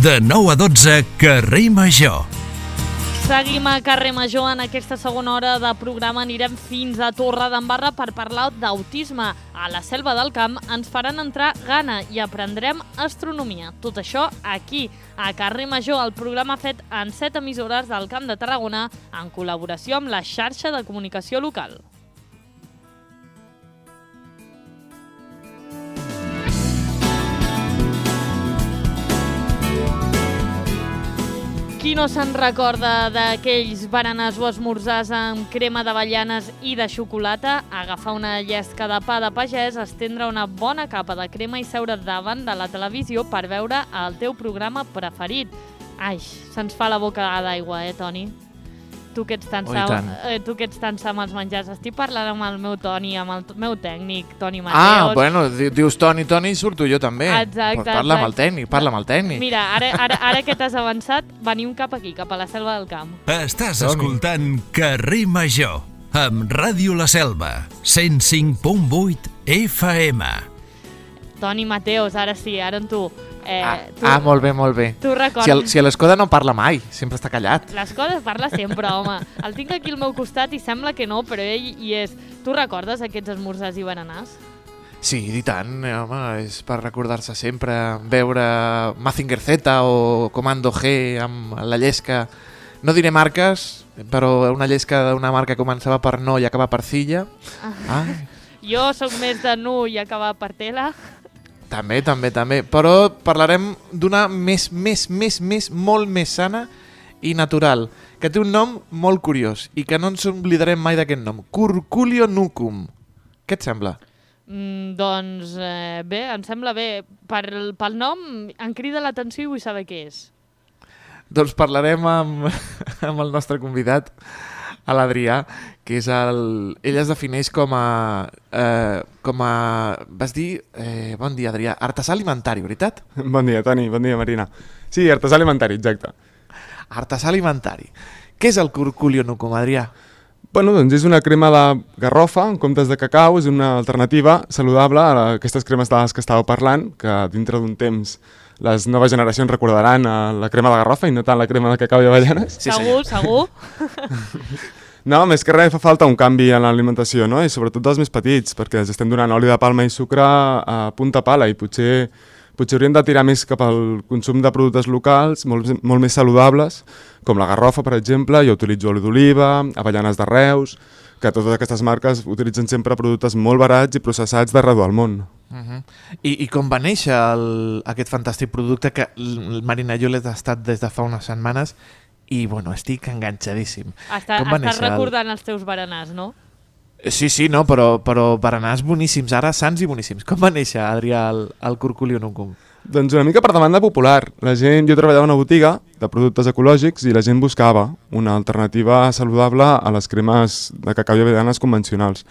De 9 a 12, Carrer Major. Seguim a Carrer Major. En aquesta segona hora de programa anirem fins a Torredembarra per parlar d'autisme. A la Selva del Camp ens faran entrar gana i aprendrem astronomia. Tot això aquí, a Carrer Major, el programa fet en 7 emissores del Camp de Tarragona en col·laboració amb la xarxa de comunicació local. Qui no se'n recorda d'aquells berenars o esmorzars amb crema d'avellanes i de xocolata? Agafar una llesca de pa de pagès, estendre una bona capa de crema i seure davant de la televisió per veure el teu programa preferit. Ai, se'ns fa la boca d'aigua, Toni? Tu que ets tan sa amb els menjars. Estic parlant amb el meu Toni, amb el meu tècnic, Toni Mateos. Bueno, dius Toni i surto jo també. Exacte. Parla amb el tècnic, Mira, ara que t'has avançat, venim cap aquí, cap a la Selva del Camp. Estàs escoltant Carrer Major, amb Ràdio La Selva, 105.8 FM. Toni Mateos, ara sí, ara en tu. Molt bé. Tu recordes... Si a l'Escoda no parla mai, sempre està callat. L'Escoda parla sempre, home. El tinc aquí al meu costat i sembla que no, però ell hi és. Tu recordes aquests esmorzars i berenars? Sí, i tant, home, és per recordar-se sempre, veure Mazinger Z o Comando G amb la llesca. No diré marques, però una llesca d'una marca que començava per no i acaba per Cilla. Jo sóc més de nu i acabar per tela. També, però parlarem d'una molt més sana i natural, que té un nom molt curiós i que no ens oblidarem mai d'aquest nom, Curculio nucum. Què et sembla? Doncs bé, em sembla bé. Pel nom em crida l'atenció i vull saber què és. Doncs parlarem amb el nostre convidat, a l'Adrià, que és ell es defineix com a vas dir, bon dia Adrià, artesà alimentari, veritat? Bon dia Toni, bon dia Marina. Sí, artesà alimentari, exacte. Artesà alimentari. Què és el Curculio nucum, Adrià? Bueno, doncs és una crema de garrofa en comptes de cacau, és una alternativa saludable a aquestes cremes de les que estàveu parlant, que dintre d'un temps les noves generacions recordaran la crema de garrofa i no tant la crema de cacau i avellanes. Sí, segur. No, més que res fa falta un canvi en l'alimentació, no? I sobretot dels més petits, perquè els estem donant oli de palma i sucre a punta pala i potser hauríem de tirar més cap al consum de productes locals, molt més saludables, com la garrofa, per exemple. Jo utilitzo oli d'oliva, avellanes de Reus, que totes aquestes marques utilitzen sempre productes molt barats i processats d'arreu del món. I com va néixer aquest fantàstic producte que Marina i jo l'he tastat des de fa unes setmanes i bueno, estic enganxadíssim. Estàs recordant els teus berenars, no? Sí, no, però berenars boníssims, ara sants i boníssims. Com va néixer, Adrià, el Curculio nucum? Doncs una mica per demanda popular. Jo treballava a una botiga de productes ecològics i la gent buscava una alternativa saludable a les cremes de cacau i avellanes convencionals.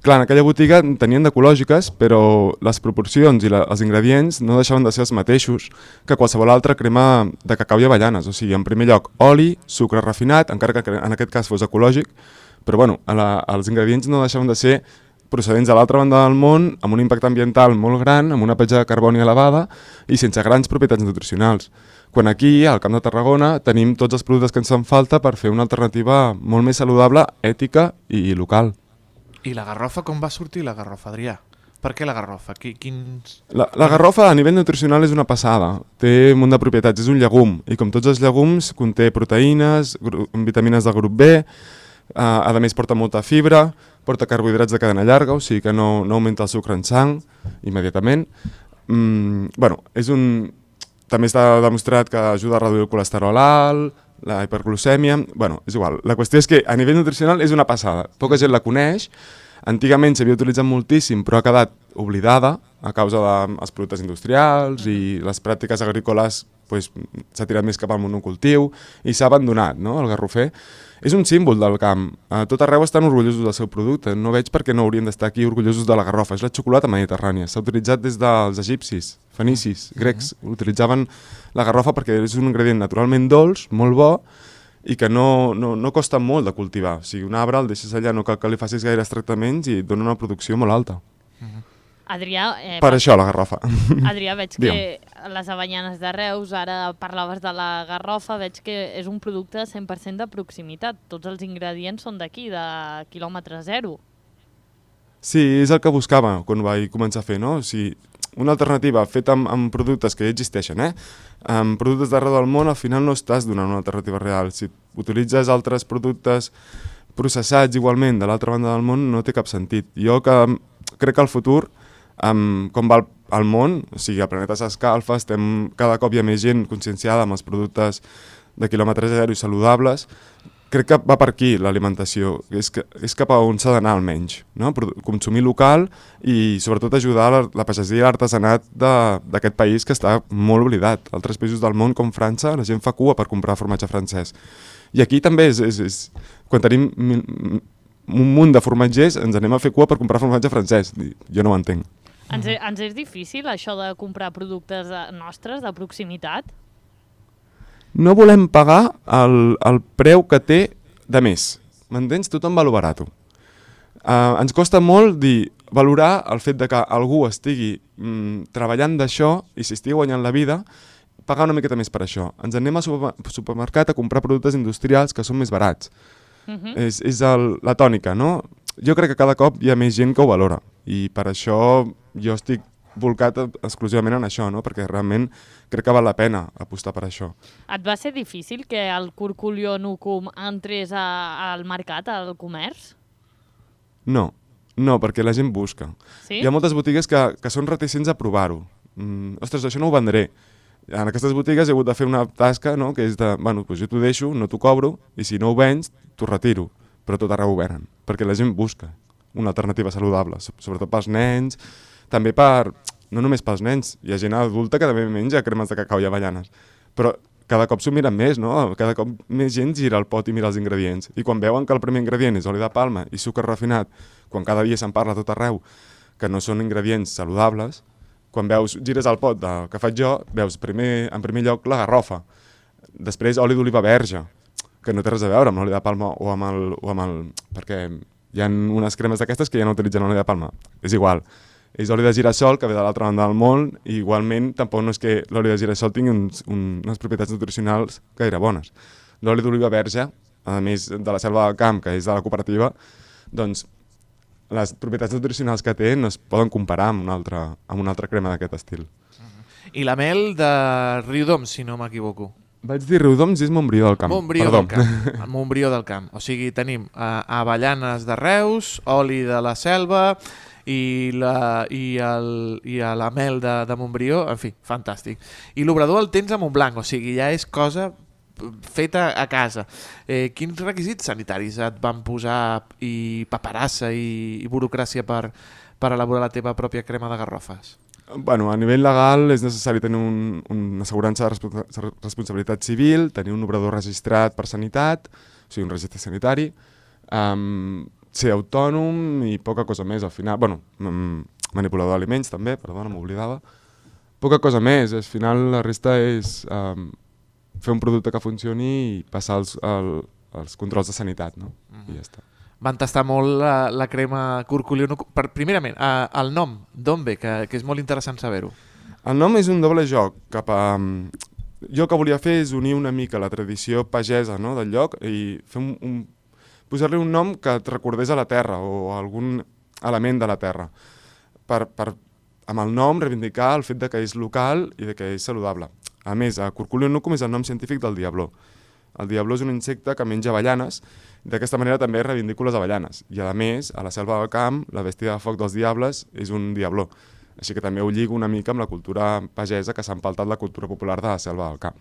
Clar, en aquella botiga en tenien d'ecològiques, però les proporcions i els ingredients no deixaven de ser els mateixos que qualsevol altra crema de cacau i avellanes. O sigui, en primer lloc, oli, sucre refinat, encara que en aquest cas fos ecològic, però bueno, els ingredients no deixaven de ser procedents de l'altra banda del món, amb un impacte ambiental molt gran, amb una petja de carboni elevada i sense grans propietats nutricionals. Quan aquí, al Camp de Tarragona, tenim tots els productes que ens fan falta per fer una alternativa molt més saludable, ètica i local. I la garrofa, com va sortir la garrofa, Adrià? Per què la garrofa? La garrofa a nivell nutricional és una passada. Té un munt de propietats, és un llegum. I com tots els llegums, conté proteïnes, vitamines del grup B, a més porta molta fibra, porta carbohidrats de cadena llarga, o sigui que no augmta el sucre en sang immediatament. També està demostrat que ajuda a reduir el colesterol alt, la hiperglucèmia... És igual. La qüestió és que a nivell nutricional és una passada. Poca gent la coneix. Antigament s'havia utilitzat moltíssim, però ha quedat oblidada a causa dels productes industrials i les pràctiques agrícoles s'ha tirat més cap al monocultiu i s'ha abandonat, no, el garrofer. És un símbol del camp. A tot arreu estan orgullosos del seu producte. No veig per què no haurien d'estar aquí orgullosos de la garrofa. És la xocolata mediterrània. S'ha utilitzat des dels egipcis, fenicis, grecs. Utilitzaven la garrofa perquè és un ingredient naturalment dolç, molt bo, i que no costa molt de cultivar. O sigui, un arbre el deixes allà, no cal que li facis gaires tractaments i et dona una producció molt alta. Adrià, Per això la garrofa. Adrià, veig que les Avellaners de Reus, ara parlaves de la garrofa, veig que és un producte 100% de proximitat. Tots els ingredients són d'aquí, de quilòmetre zero. Sí, és el que buscava quan vaig començar a fer, no? O sigui, una alternativa feta amb productes que ja existeixen, amb productes d'arreu del món, al final no estàs donant una alternativa real. Si utilitzes altres productes processats igualment de l'altra banda del món, no té cap sentit. Jo crec que el futur, com va al món, o sigui, el planeta s'escalfa, cada cop hi ha més gent conscienciada amb els productes de quilòmetre zero i saludables. Crec que va per aquí l'alimentació, és cap a on s'ha d'anar almenys, no? Consumir local i sobretot ajudar la pagesia i l'artesanat d'aquest país que està molt oblidat. Altres països del món com França, la gent fa cua per comprar formatge francès. I aquí també quan tenim un munt de formatgers ens anem a fer cua per comprar formatge francès. Jo no ho entenc. Ens és difícil això de comprar productes nostres de proximitat? No volem pagar el preu que té de més. M'entens? Tothom va lo barato. Ens costa molt valorar el fet de que algú estigui treballant d'això i s'hi estigui guanyant la vida, pagar una miqueta més per això. Ens anem al supermercat a comprar productes industrials que són més barats. És la tònica, no? Jo crec que cada cop hi ha més gent que ho valora i per això jo estic volcat exclusivament en això, no? Perquè realment crec que val la pena apostar per això. Et va ser difícil que el Curculio Nucum entrés al mercat, al comerç? No, perquè la gent busca. Sí? Hi ha moltes botigues que són reticents a provar-ho. Ostres, això no ho vendré. En aquestes botigues he hagut de fer una tasca, no? Que és de, bueno, doncs jo t'ho deixo, no t'ho cobro, i si no ho vens, t'ho retiro. Però tot arreu ho venen, perquè la gent busca una alternativa saludable, sobretot pels nens, també no només pels nens, hi ha gent adulta que també menja cremes de cacau i avellanes, però cada cop s'ho miren més, no? Cada cop més gent gira el pot i mira els ingredients, i quan veuen que el primer ingredient és oli de palma i sucre refinat, quan cada dia se'n parla a tot arreu, que no són ingredients saludables, quan gires el pot que faig jo, veus en primer lloc la garrofa, després oli d'oliva verge, que no té res a veure amb l'oli de palma o amb el... perquè hi ha unes cremes d'aquestes que ja no utilitzen oli de palma, és igual. És oli de girassol que ve de l'altra banda del món i igualment tampoc no és que l'oli de girassol tingui unes propietats nutricionals gaire bones. L'oli d'oliva verge, a més de la Selva del Camp, que és de la cooperativa, doncs les propietats nutricionals que té no es poden comparar amb una altra crema d'aquest estil. I la mel de Riudoms, si no m'equivoco. Vaig dir Riudoms i és Montbrió del Camp. Montbrió del Camp. O sigui, tenim avellanes de Reus, oli de la Selva i la mel de Montbrió, en fi, fantàstic. I l'obrador el tens a Montblanc, o sigui, ja és cosa feta a casa. Quins requisits sanitaris et van posar i paperassa i burocràcia per elaborar la teva pròpia crema de garrofes? Bueno, a nivell legal és necessari tenir una assegurança de responsabilitat civil, tenir un obrador registrat per sanitat, o sigui, un registre sanitari, ser autònom i poca cosa més al final. Bueno, manipulador d'aliments també, perdona, m'oblidava. Poca cosa més, al final la resta és fer un producte que funcioni i passar els controls de sanitat, no? I ja està. Van tastar molt la crema Curculio Nucum. Primerament, el nom, d'on ve? Que és molt interessant saber-ho. El nom és un doble joc. Jo el que volia fer és unir una mica la tradició pagesa, no, del lloc i posar-li un nom que et recordés a la terra o a algun element de la terra. Amb el nom reivindicar el fet de que és local i de que és saludable. A més, Curculio Nucum és el nom científic del diabló. El diabló és un insecte que menja avellanes, d'aquesta manera també reivindico les avellanes. I a més, a la Selva del Camp, la bèstia de foc dels diables és un diabló. Així que també ho lligo una mica amb la cultura pagesa que s'ha empaltat la cultura popular de la Selva del Camp.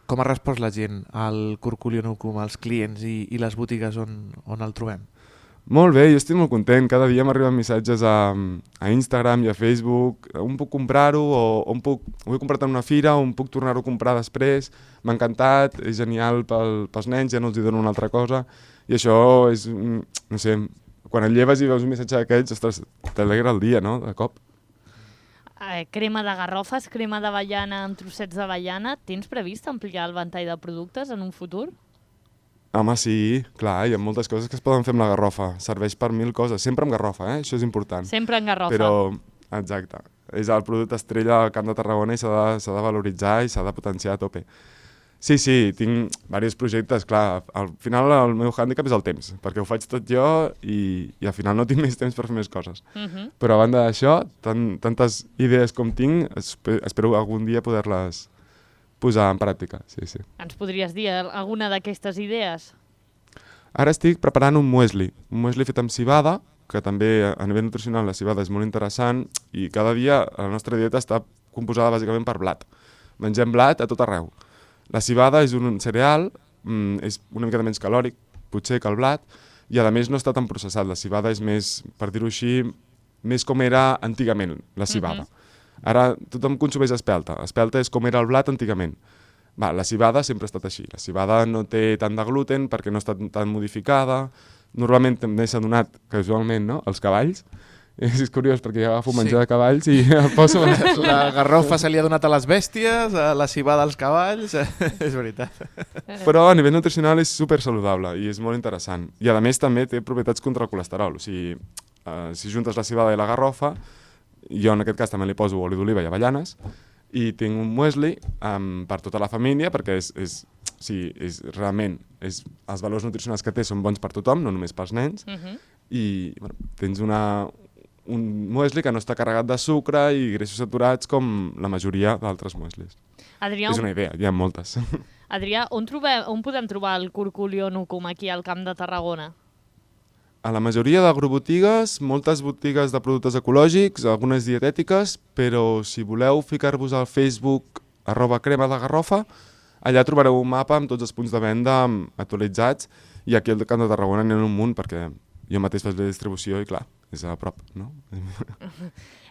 Com ha respost la gent al Curculio Nucum, als clients i les botigues on el trobem? Molt bé, jo estic molt content. Cada dia m'arriben missatges a Instagram i a Facebook. On puc comprar-ho? O ho he comprat en una fira, on puc tornar-ho a comprar després? M'ha encantat, és genial pels nens, ja no els dono una altra cosa. I això és, no sé, quan et lleves i veus un missatge d'aquests, ostres, t'alegra el dia, no?, de cop. Crema de garrofes, crema d'avellana amb trossets d'avellana. Tens previst ampliar el ventall de productes en un futur? Home, sí, clar, hi ha moltes coses que es poden fer amb la garrofa. Serveix per 1000 coses, sempre amb garrofa, això és important. Sempre en garrofa. Però, exacte, és el producte estrella al Camp de Tarragona i s'ha de valoritzar i s'ha de potenciar a tope. Sí, tinc diversos projectes, clar, al final el meu hàndicap és el temps, perquè ho faig tot jo i al final no tinc més temps per fer més coses. Però a banda d'això, tantes idees com tinc, espero algun dia poder-les posar en pràctica, sí. Ens podries dir alguna d'aquestes idees? Ara estic preparant un muesli fet amb civada, que també a nivell nutricional la civada és molt interessant i cada dia la nostra dieta està composada bàsicament per blat. Mengem blat a tot arreu. La civada és un cereal, és una mica menys calòric, potser que el blat, i a més no està tan processat. La civada és més, per dir-ho així, més com era antigament la civada. Ara tothom consumeix espelta. Espelta és com era el blat antigament. La civada sempre ha estat així. La civada no té tant de gluten perquè no està tan modificada. Normalment també s'ha donat, casualment, no? Els cavalls. És curiós perquè jo agafo menjar de cavalls i el poso... La garrofa se li ha donat a les bèsties, la civada als cavalls, és veritat. Però a nivell nutricional és super saludable i és molt interessant. I a més també té propietats contra el colesterol. O sigui, si juntes la civada i la garrofa, jo en aquest cas també li poso oli d'oliva i avellanes i tinc un muesli per tota la família perquè realment els valors nutricionals que té són bons per tothom, no només pels nens, i tens un muesli que no està carregat de sucre i greixos saturats com la majoria d'altres mueslis. Adrià, és una idea, hi ha moltes. Adrià, on podem trobar el curculio nucum aquí al Camp de Tarragona? A la majoria d'agrovotigues, moltes botigues de productes ecològics, algunes dietètiques, però si voleu ficar-vos al Facebook @crema de garrofa, allà trobareu un mapa amb tots els punts de venda actualitzats i aquí al Camp de Tarragona n'hi ha un munt perquè jo mateix faig la distribució i clar, és a prop, no?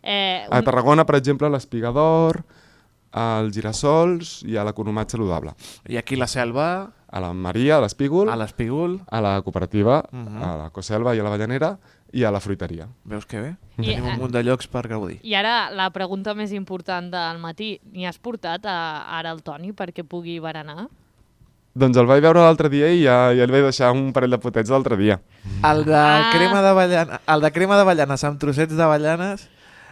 A Tarragona, per exemple, l'Espiga d'Or, als Girassols i a l'Economat Saludable. I aquí la Selva... A la Maria, a l'Espígol, a la Cooperativa, a la Coselva i a la Vallanera i a la Fruiteria. Veus que bé? Tenim un munt de llocs per gaudir. I ara la pregunta més important del matí. N'hi has portat ara el Toni perquè pugui berenar? Doncs el vaig veure l'altre dia i ja li vaig deixar un parell de potets l'altre dia. El de crema d'avellanes amb trossets d'avellanes...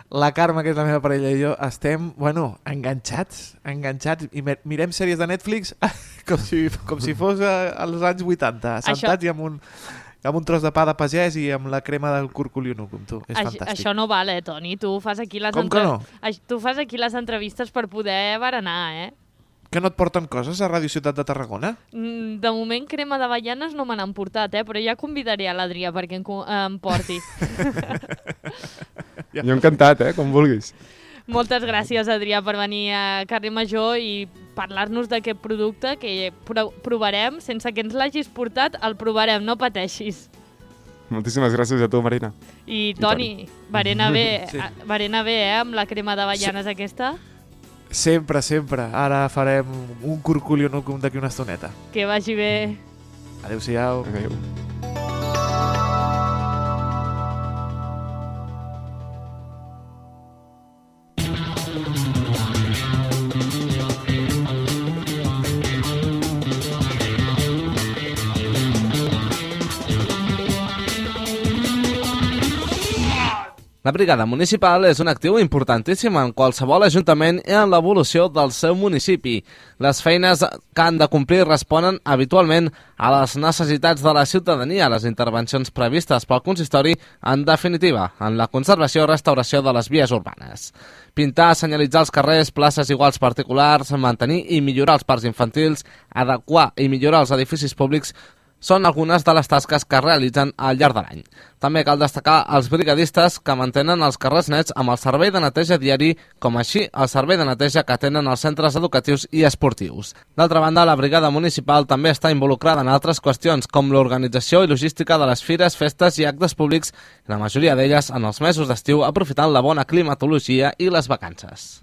La Carme, que és la meva parella, i jo estem, enganxats i mirem sèries de Netflix com si fos als anys 80, sentats i amb un tros de pa de pagès i amb la crema del curculio nucum, tu. És fantàstic. Això no val, Toni? Tu fas aquí les Tu fas aquí les entrevistes per poder berenar, Que no et porten coses a Ràdio Ciutat de Tarragona? De moment crema d'avellanes no me n'han portat, però ja convidaré a l'Adrià perquè em porti. Jo encantat, com vulguis. Moltes gràcies, Adrià, per venir a Carrer Major i parlar-nos d'aquest producte que provarem. Sense que ens l'hagis portat, el provarem, no pateixis. Moltíssimes gràcies a tu, Marina. I Toni, berena bé, amb la crema d'avellanes aquesta? Sempre. Ara farem un curculio nucum d'aquí una estoneta. Que vagi bé. Adéu-siau. Adéu. La brigada municipal és un actiu importantíssim en qualsevol ajuntament i en l'evolució del seu municipi. Les feines que han de complir responen habitualment a les necessitats de la ciutadania, les intervencions previstes pel consistori, en definitiva, en la conservació i restauració de les vies urbanes. Pintar, senyalitzar els carrers, places iguals particulars, mantenir i millorar els parcs infantils, adequar i millorar els edificis públics són algunes de les tasques que realitzen al llarg de l'any. També cal destacar els brigadistes que mantenen els carrers nets amb el servei de neteja diari, com així el servei de neteja que tenen els centres educatius i esportius. D'altra banda, la brigada municipal també està involucrada en altres qüestions, com l'organització i logística de les fires, festes i actes públics, la majoria d'elles en els mesos d'estiu, aprofitant la bona climatologia i les vacances.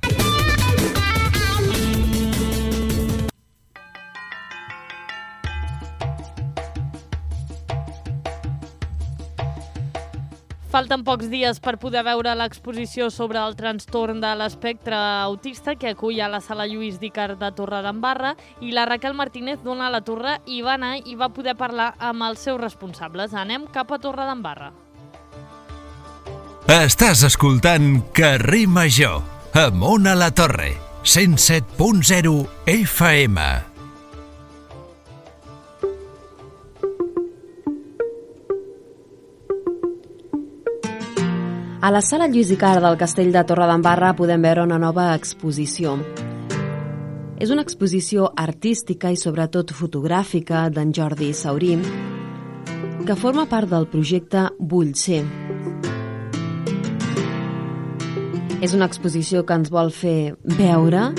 Falten pocs dies per poder veure l'exposició sobre el trastorn de l'espectre autista que acull a la Sala Lluís Dicart de Torredembarra, i la Raquel Martínez d'Ona la Torre hi va anar i va poder parlar amb els seus responsables. Anem cap a Torredembarra. Estàs escoltant Carrer Major amb Ona la Torre, 107.0 FM. A la Sala Lluís Dicart del Castell de Torredembarra podem veure una nova exposició. És una exposició artística i sobretot fotogràfica d'en Jordi Saurí, que forma part del projecte Vull ser. És una exposició que ens vol fer veure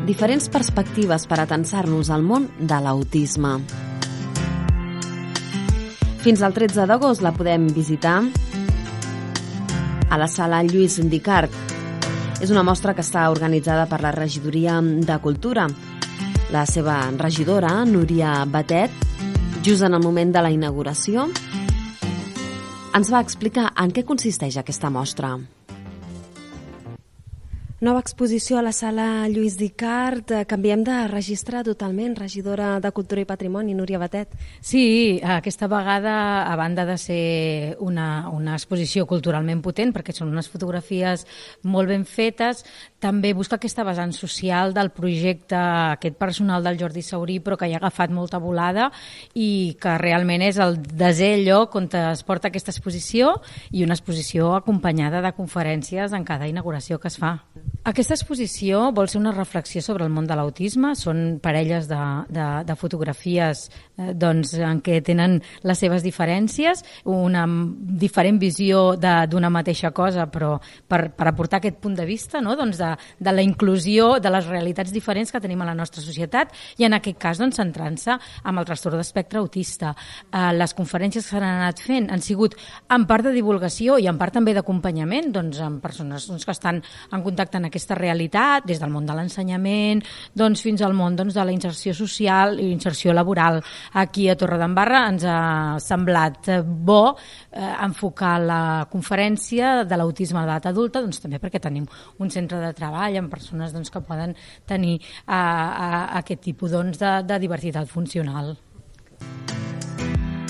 diferents perspectives per atensar-nos al món de l'autisme. Fins al 13 d'agost la podem visitar a la Sala Lluís Dicart. És una mostra que està organitzada per la Regidoria de Cultura. La seva regidora, Núria Batet, just en el moment de la inauguració, ens va explicar en què consisteix aquesta mostra. Nova exposició a la Sala Lluís Dicart. Canviem de registre totalment. Regidora de Cultura i Patrimoni, Núria Batet. Sí, aquesta vegada, a banda de ser una exposició culturalment potent, perquè són unes fotografies molt ben fetes, també busca aquesta vessant social del projecte, aquest personal del Jordi Saurí, però que ja ha agafat molta volada i que realment és el desè lloc on es porta aquesta exposició, i una exposició acompanyada de conferències en cada inauguració que es fa. Aquesta exposició vol ser una reflexió sobre el món de l'autisme. Són parelles de fotografies en què tenen les seves diferències, una diferent visió d'una mateixa cosa, però per aportar aquest punt de vista, no? De la inclusió de les realitats diferents que tenim a la nostra societat, i en aquest cas centrant-se amb el trastorn d'espectre autista. Les conferències que s'han anat fent han sigut en part de divulgació i en part també d'acompanyament, amb persones que estan en contacte en aquesta realitat, des del món de l'ensenyament fins al món de la inserció social i inserció laboral. Aquí a Torredembarra ens ha semblat bo enfocar la conferència de l'autisme a l'edat adulta, també perquè tenim un centre de treball amb persones que poden tenir aquest tipus de diversitat funcional.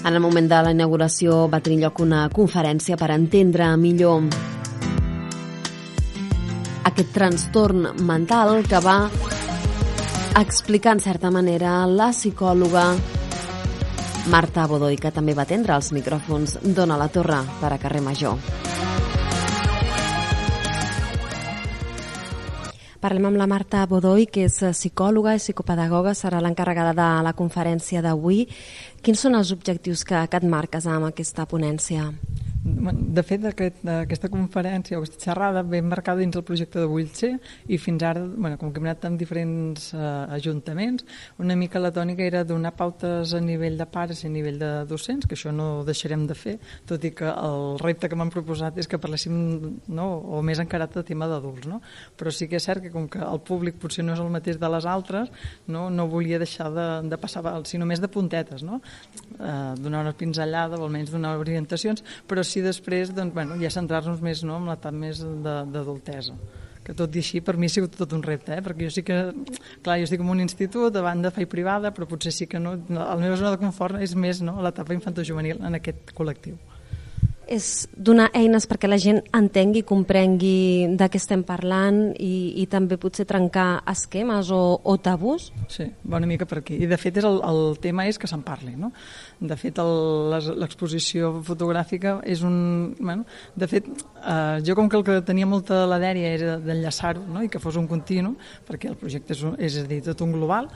En el moment de la inauguració va tenir lloc una conferència per entendre millor aquest trastorn mental que va explicar en certa manera la psicòloga Marta Bodoy, que també va atendre els micròfons d'Ona la Torre per a Carrer Major. Parlem amb la Marta Bodoy, que és psicòloga i psicopedagoga, serà l'encarregada de la conferència d'avui. Quins són els objectius que et marques amb aquesta ponència? De fet, aquesta conferència o aquesta xerrada ve marcada dins el projecte de Vull ser, i fins ara, com que hem anat amb diferents ajuntaments, una mica la tònica era donar pautes a nivell de pares i a nivell de docents, que això no deixarem de fer, tot i que el repte que m'han proposat és que parléssim, o més encarat de tema d'adults, però sí que és cert que com que el públic potser no és el mateix de les altres, no volia deixar de passar, sinó més de puntetes, donar una pinzellada o almenys donar orientacions, però sí després ja centrar-nos més en l'etapa més d'adultesa, que tot i així per mi ha sigut tot un repte, perquè jo sí que, clar, jo estic en un institut, a banda faig privada, però potser sí que no, la meva zona de confort és més l'etapa infantojuvenil en aquest col·lectiu. És donar eines perquè la gent entengui i comprengui de què estem parlant i també potser trencar esquemes o tabús? Sí, una mica per aquí. I de fet el tema és que se'n parli, De fet l'exposició fotogràfica és un... De fet, jo com que el que tenia molta la dèria era d'enllaçar-ho i que fos un continu, perquè el projecte és a dir, tot un global,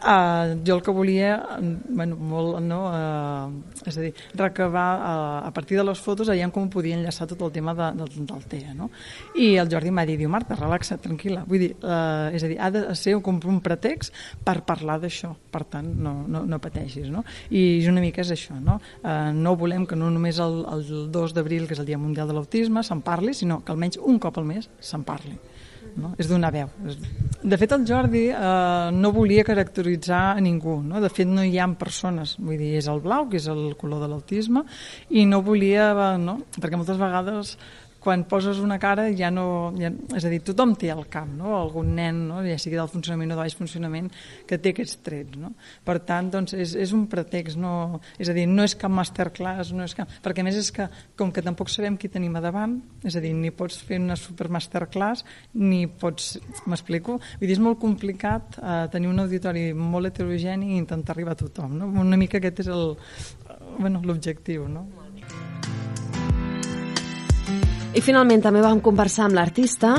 jo el que volia és a dir, recabar a partir de les fotos allà com podia enllaçar tot el tema del TEA, i el Jordi m'ha dit, Marta, relaxa't, tranquil·la, vull dir, és a dir, ha de ser com un pretext per parlar d'això, per tant no pateixis, i una mica és això, no volem que no només el 2 d'abril, que és el Dia Mundial de l'Autisme, se'n parli, sinó que almenys un cop al mes se'n parli. no? És donar veu. De fet, el Jordi no volia caracteritzar a ningú, no? De fet, no hi ha persones, vull dir, és el blau, que és el color de l'autisme, i no volia, no? Perquè moltes vegades quan poses una cara ja no... és a dir, tothom té al cap, no? Algun nen, no? Ja sigui del funcionament o de baix funcionament, que té aquests trets, no? Per tant, doncs, és un pretext, no... És a dir, no és cap masterclass, no és cap... Perquè a més és que, com que tampoc sabem qui tenim a davant, és a dir, ni pots fer una super masterclass, ni pots... M'explico? Vull dir, és molt complicat tenir un auditori molt heterogeni i intentar arribar a tothom, no? Una mica aquest és l'objectiu, no? I finalment també vam conversar amb l'artista,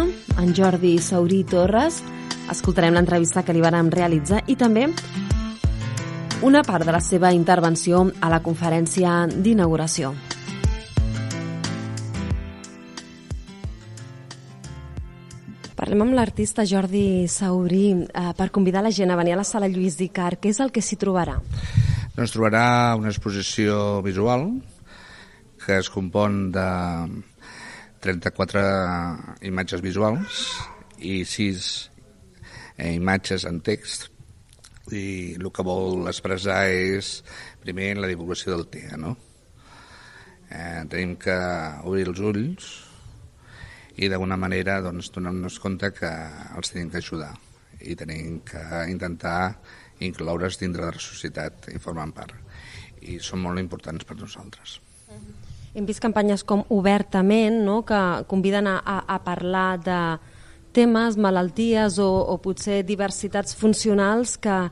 en Jordi Saurí Torres. Escoltarem l'entrevista que li vàrem realitzar i també una part de la seva intervenció a la conferència d'inauguració. Parlem amb l'artista Jordi Saurí per convidar la gent a venir a la sala Lluís Dicart. Què és el que s'hi trobarà? Doncs trobarà una exposició visual que es compon de 34 imatges visuals i 6 imatges en text, i el que vol expressar és primer la divulgació del TEA, no? Tenim que obrir els ulls i d'alguna manera doncs, donar-nos compte que els tenim que ajudar i tenim que intentar incloure's dintre de la societat i formant part, i són molt importants per nosaltres. Hem vist campanyes com Obertament, no?, que conviden a parlar de temes, malalties o potser diversitats funcionals que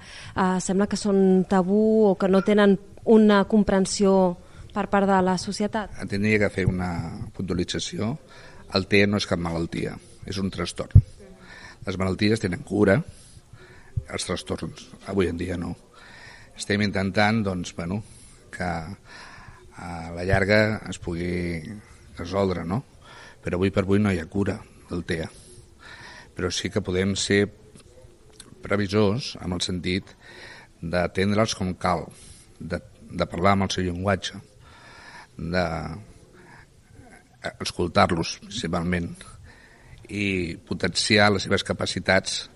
sembla que són tabú o que no tenen una comprensió per part de la societat. Tindria que fer una puntualització. El TEA no és cap malaltia, és un trastorn. Les malalties tenen cura, els trastorns avui en dia no. Estem intentant doncs, que a la llarga es pugui resoldre, no? Però avui per avui no hi ha cura del TEA. Però sí que podem ser previsors amb el sentit d'atendre'ls com cal, de parlar amb el seu llenguatge, d'escoltar-los principalment i potenciar les seves capacitats,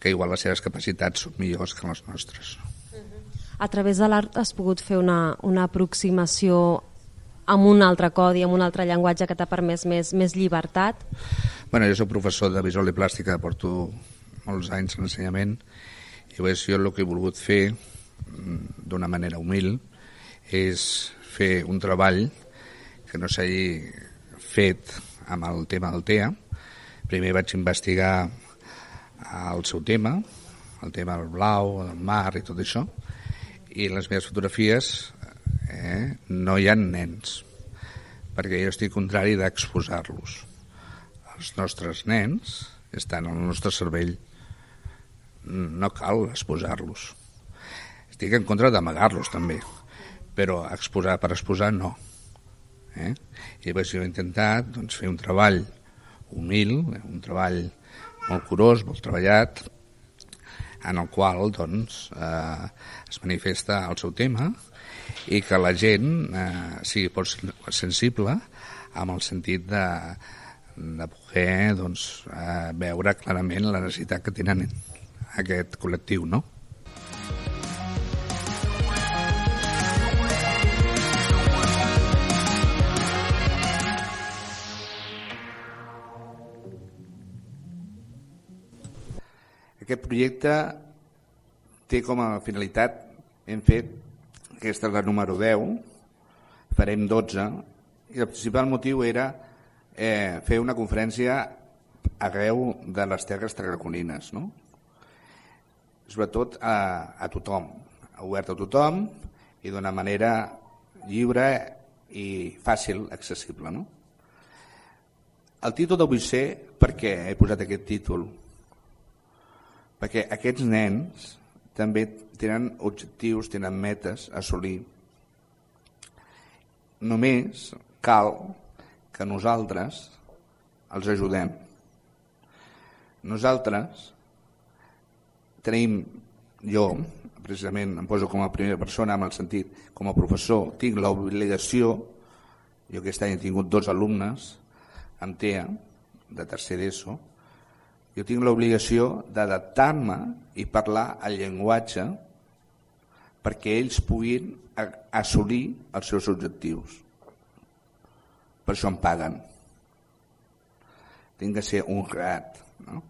que igual les seves capacitats són millors que les nostres. A través de l'art has pogut fer una aproximació amb un altre codi, amb un altre llenguatge que t'ha permès més llibertat? Jo soc professor de visual i plàstica, porto molts anys en l'ensenyament, i jo el que he volgut fer d'una manera humil és fer un treball que no s'hagi fet amb el tema del TEA. Primer vaig investigar el seu tema, el tema del blau, del mar i tot això, i les meves fotografies no hi ha nens, perquè jo estic contrari d'exposar-los. Els nostres nens estan al nostre cervell, no cal exposar-los. Estic en contra d'amagar-los també, però exposar per exposar no. I llavors jo he intentat fer un treball humil, un treball molt curós, molt treballat, en el qual es manifesta el seu tema i que la gent sigui sensible amb el sentit de poder veure clarament la necessitat que tenen aquest col·lectiu, no? Aquest projecte té com a finalitat, hem fet, aquesta és la número 10, farem 12, i el principal motiu era fer una conferència arreu de les terres tarragonines, no? Sobretot a tothom, obert a tothom i d'una manera lliure i fàcil, accessible, no? El títol de vull ser, per què he posat aquest títol? Perquè aquests nens també tenen objectius, tenen metes a assolir. Només cal que nosaltres els ajudem. Nosaltres tenim, jo precisament em poso com a primera persona amb el sentit, com a professor, tinc l'obligació, jo aquest any he tingut 2 alumnes amb TEA, de tercer d'ESO, Jo tinc l'obligació d'adaptar-me i parlar el llenguatge perquè ells puguin assolir els seus objectius. Per això em paguen. Tinc que ser honrat, no?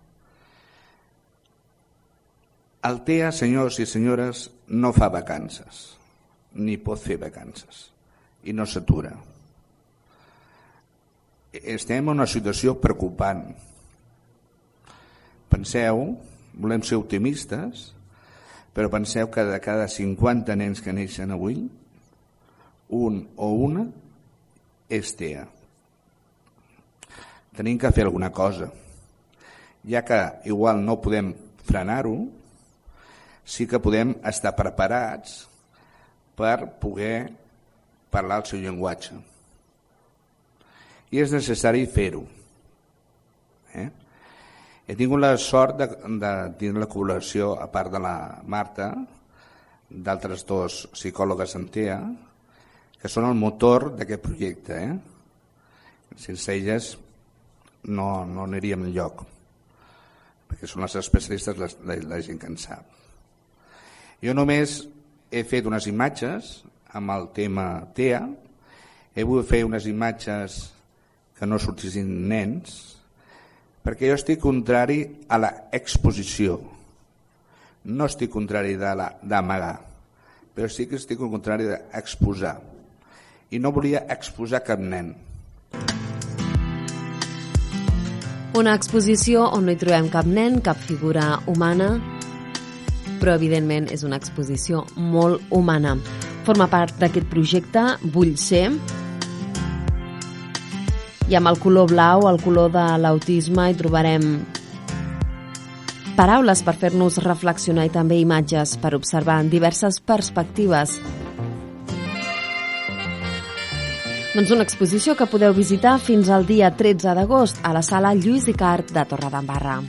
El TEA, senyors i senyores, no fa vacances, ni pot fer vacances, i no s'atura. Estem en una situació preocupant. Penseu, volem ser optimistes, però penseu que de cada 50 nens que neixen avui, un o una és TEA. Tenim que fer alguna cosa. Ja que igual no podem frenar-ho, sí que podem estar preparats per poder parlar el seu llenguatge. I és necessari fer-ho. He tingut la sort de tenir la col·laboració, a part de la Marta, d'altres dos psicòlogues en TEA, que són el motor d'aquest projecte. Sense elles no aniríem enlloc, perquè són les especialistes, la gent que en sap. Jo només he fet unes imatges amb el tema TEA, he volgut fer unes imatges que no sortissin nens, perquè jo estic contrari a l'exposició. No estic contrari d'amagar, però sí que estic contrari d'exposar. I no volia exposar cap nen. Una exposició on no hi trobem cap nen, cap figura humana, però evidentment és una exposició molt humana. Forma part d'aquest projecte Vull ser, i amb el color blau, el color de l'autisme, hi trobarem paraules per fer-nos reflexionar i també imatges per observar en diverses perspectives. Doncs una exposició que podeu visitar fins al dia 13 d'agost a la sala Lluís Icart de Torredembarra.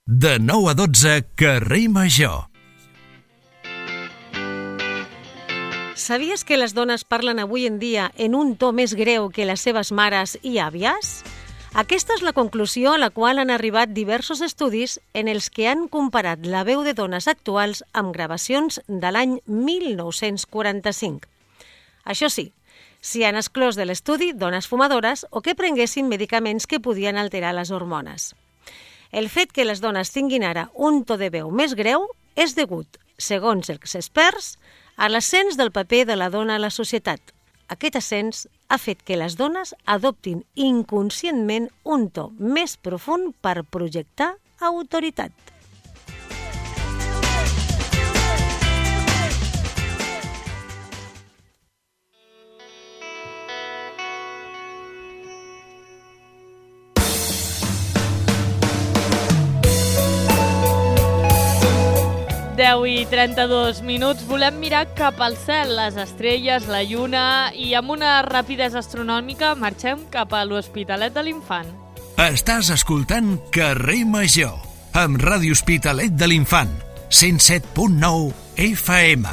De 9 a 12, Carrer Major. Sabies que les dones parlen avui en dia en un to més greu que les seves mares i àvies? Aquesta és la conclusió a la qual han arribat diversos estudis en els que han comparat la veu de dones actuals amb gravacions de l'any 1945. Això sí, s'hi han exclòs de l'estudi dones fumadores o que prenguessin medicaments que podien alterar les hormones. El fet que les dones tinguin ara un to de veu més greu és degut, segons els experts, a l'ascens del paper de la dona a la societat. Aquest ascens ha fet que les dones adoptin inconscientment un to més profund per projectar autoritat. I 32 minuts. Volem mirar cap al cel, les estrelles, la lluna, i amb una rapidesa astronòmica marxem cap a l'Hospitalet de l'Infant. Estàs escoltant Carrer Major, amb Ràdio Hospitalet de l'Infant, 107.9 FM.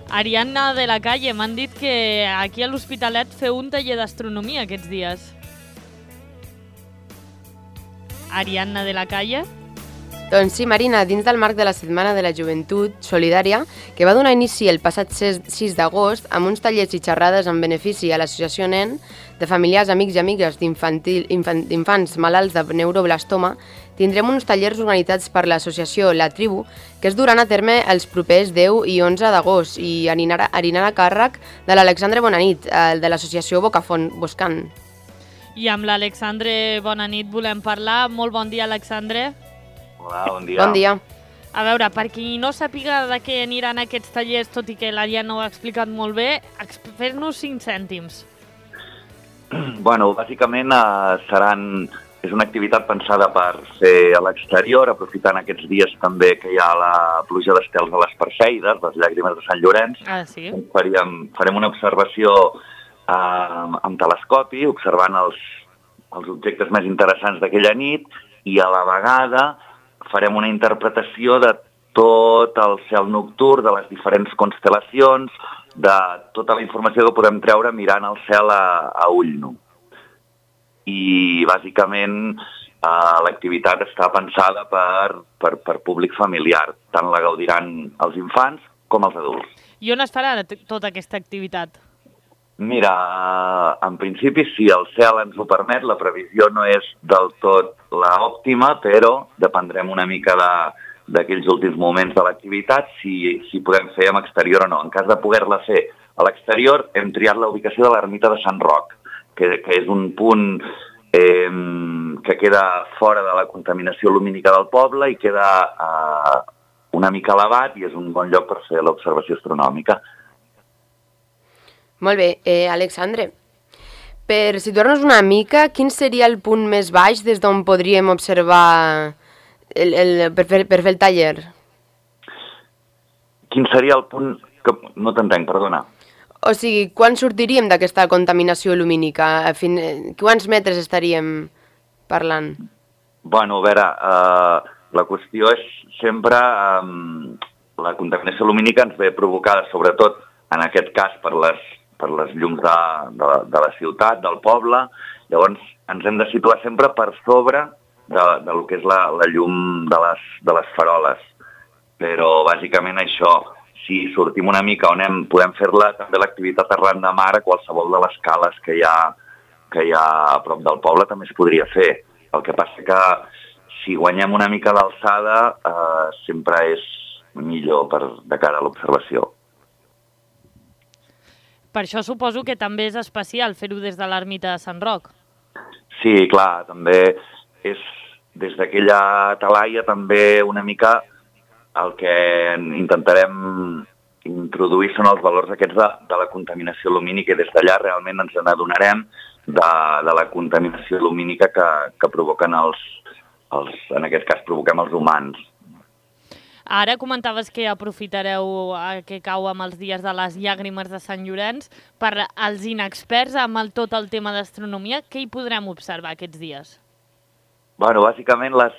Ariadna de la Calle, m'han dit que aquí a l'Hospitalet feu un taller d'astronomia aquests dies. Ariadna de la Calle? Doncs sí, Marina, dins del marc de la Setmana de la Joventut Solidària, que va donar inici el passat 6 d'agost amb uns tallers i xerrades en benefici a l'Associació NEN, de familiars, amics i amigues d'infants malalts de neuroblastoma, tindrem uns tallers organitzats per l'associació La Tribu, que es duran a terme els propers 10 i 11 d'agost i anirà a càrrec de l'Alexandre Bonanit, de l'associació Boscant. I amb l'Alexandre Bonanit volem parlar. Molt bon dia, Alexandre. Hola, bon dia. Bon dia. A veure, per qui no sàpiga de què aniran aquests tallers, tot i que l'Ariadna ho ha explicat molt bé, fes-nos 5 cèntims. Bueno, bàsicament és una activitat pensada per fer a l'exterior, aprofitant aquests dies també que hi ha la pluja d'estels a les Perseides, les llàgrimes de Sant Llorenç. Ah, sí? Farem una observació amb telescopi, observant els els objectes més interessants d'aquella nit i a la vegada farem una interpretació de tot el cel nocturn, de les diferents constel·lacions, de tota la informació que podem treure mirant el cel a ull nu. I bàsicament l'activitat està pensada per públic familiar, tant la gaudiran els infants com els adults. I on es farà tota aquesta activitat? Mira, en principi, si el cel ens ho permet, la previsió no és del tot l'òptima, però dependrem una mica d'aquells últims moments de l'activitat, si podem fer en exterior o no. En cas de poder-la fer a l'exterior, hem triat la ubicació de l'ermita de Sant Roc, que és un punt que queda fora de la contaminació lumínica del poble i queda una mica elevat i és un bon lloc per fer l'observació astronòmica. Molt bé. Alexandre, per situar-nos una mica, quin seria el punt més baix des d'on podríem observar per fer el taller? Quin seria el punt... No t'entenc, perdona. O sigui, quan sortiríem d'aquesta contaminació lumínica? Quants metres estaríem parlant? Bueno, a veure, la qüestió és sempre... La contaminació lumínica ens ve provocada, sobretot, en aquest cas, per les llums de la ciutat, del poble. Llavors, ens hem de situar sempre per sobre del que és la llum de les faroles. Però, bàsicament, això, si sortim una mica on podem fer-la també l'activitat arran de mar a qualsevol de les cales que hi ha a prop del poble també es podria fer. El que passa que si guanyem una mica d'alçada sempre és millor de cara a l'observació. Per això suposo que també és especial fer-ho des de l'ermita de Sant Roc. Sí, clar, també és des d'aquella talaia també una mica el que intentarem introduir són els valors aquests de la contaminació lumínica i des d'allà realment ens n'adonarem de la contaminació lumínica que provoquen en aquest cas provoquem els humans. Ara comentaves que aprofitareu que cau amb els dies de les llàgrimes de Sant Llorenç. Per als inexperts amb tot el tema d'astronomia, què hi podrem observar aquests dies? Bueno, bàsicament les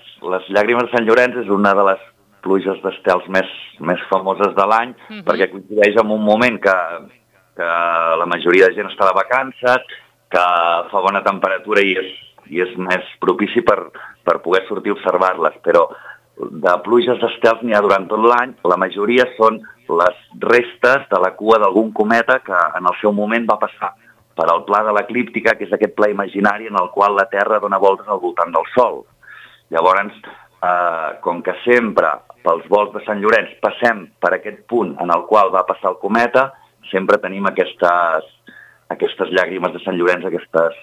llàgrimes de Sant Llorenç és una de les pluges d'estels més famoses de l'any, perquè coincideix amb un moment que la majoria de gent està de vacances, que fa bona temperatura i és més propici per poder sortir a observar-les, però de pluges d'estels n'hi ha durant tot l'any, la majoria són les restes de la cua d'algun cometa que en el seu moment va passar per al pla de l'eclíptica, que és aquest pla imaginari en el qual la Terra dona voltes al voltant del Sol. Llavors, com que sempre pels volts de Sant Llorenç passem per aquest punt en el qual va passar el cometa, sempre tenim aquestes llàgrimes de Sant Llorenç, aquestes